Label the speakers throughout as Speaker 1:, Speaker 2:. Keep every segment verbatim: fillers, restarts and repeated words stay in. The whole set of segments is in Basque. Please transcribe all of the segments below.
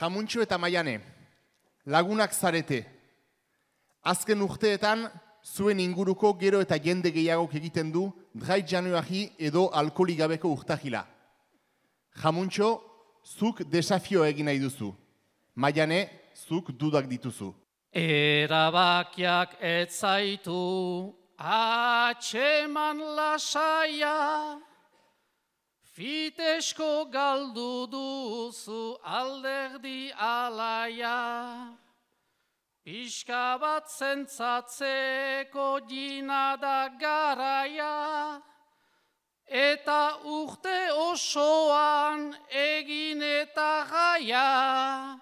Speaker 1: Jamuntxo eta Maiane, lagunak zarete. Azken urteetan, zuen inguruko gero eta jende gehiagok egiten du dry Januari edo alkoholik gabeko urtahila. Jamuntxo, zuk desafio egin nahi duzu. Maiane, zuk dudak dituzu.
Speaker 2: Erabakiak ez zaitu atxeman lasaia, fitesko galdu duzu alderdi alaia, pixka bat zentzatzeko jina da garaia, eta urte osoan egin eta gaia,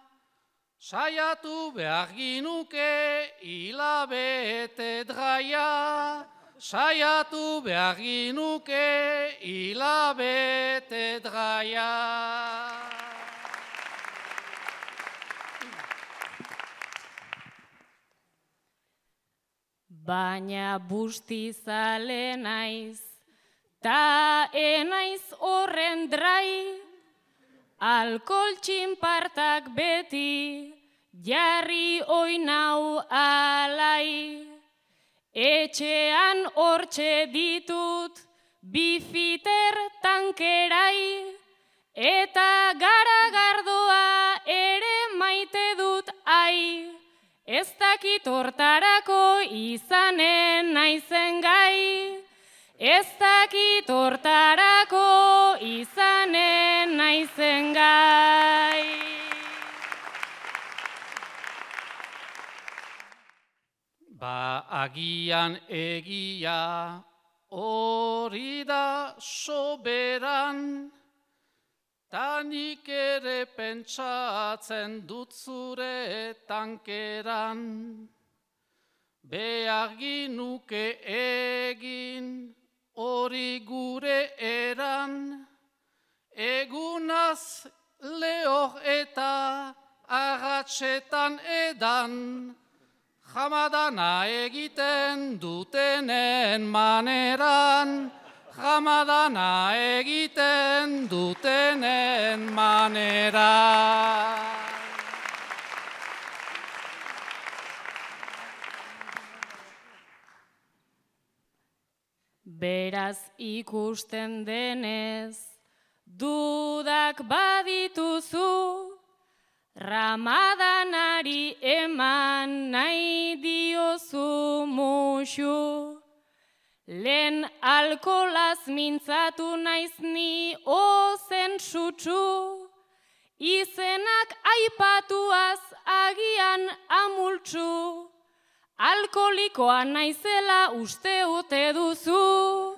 Speaker 2: saiatu behar ginuke hilabete draia, saiatu behar ginuke hilabete draia.
Speaker 3: Baina bustizale naiz, ta enaiz horren drai, alkohol txinpartak beti, jarri oinau alai. Etxean hortxe ditut, bifiter tankerai, eta garagardoa ere maite dut ai. Ez dakit hortarako izanen naizen gai, ez dakit hortarako izanen naizen gai.
Speaker 2: Ba agian egia hori da soberan, ta nik ere pentsatzen dut zure tankeran. Behar ginuke egin hori gure eran, egunaz lehor eta agatsetan edan, jamadana egiten dutenen maneran, jamadana egiten dutenen maneran.
Speaker 3: Beraz ikusten denez, dudak badituzu, Ramadanari eman nahi diozu musu. Lehen alkolaz mintzatu naiz ni ozen sutsu, izenak aipatuaz agian amultsu. Alkolikoa naizela uste ote duzu,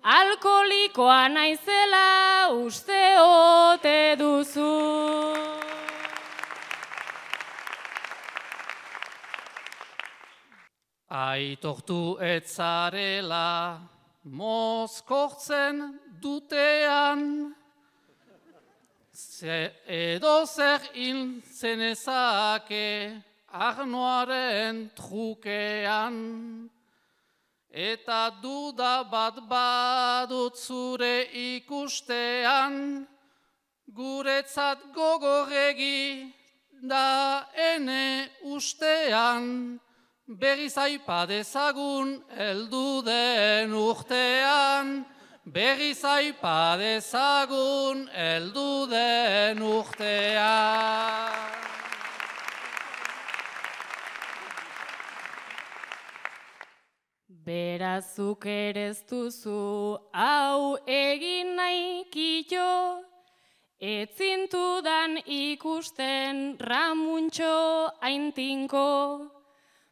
Speaker 3: alkolikoa naizela uste ote duzu.
Speaker 2: Aitortu etzarela mozkortzen dutean, ze edo zer hil zenezake arnoaren trukean, eta duda bat badut zure ikustean, guretzat gogorregi da ene ustean, berriz aipa dezagun heldu den urtean, berriz aipa dezagun heldu den urtean.
Speaker 3: Berazuk ere ez duzu hau egin nahi kito, etzintudan ikusten Ramuntxo aintinko.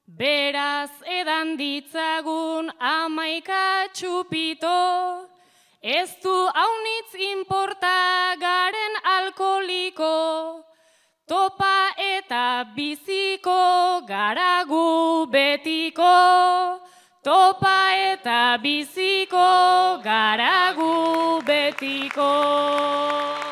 Speaker 3: Beraz edan ditzagun amaika txupito, ez du haunitz inporta garen alkoholiko, topa eta biziko garagu betiko, topa eta biziko garagu betiko.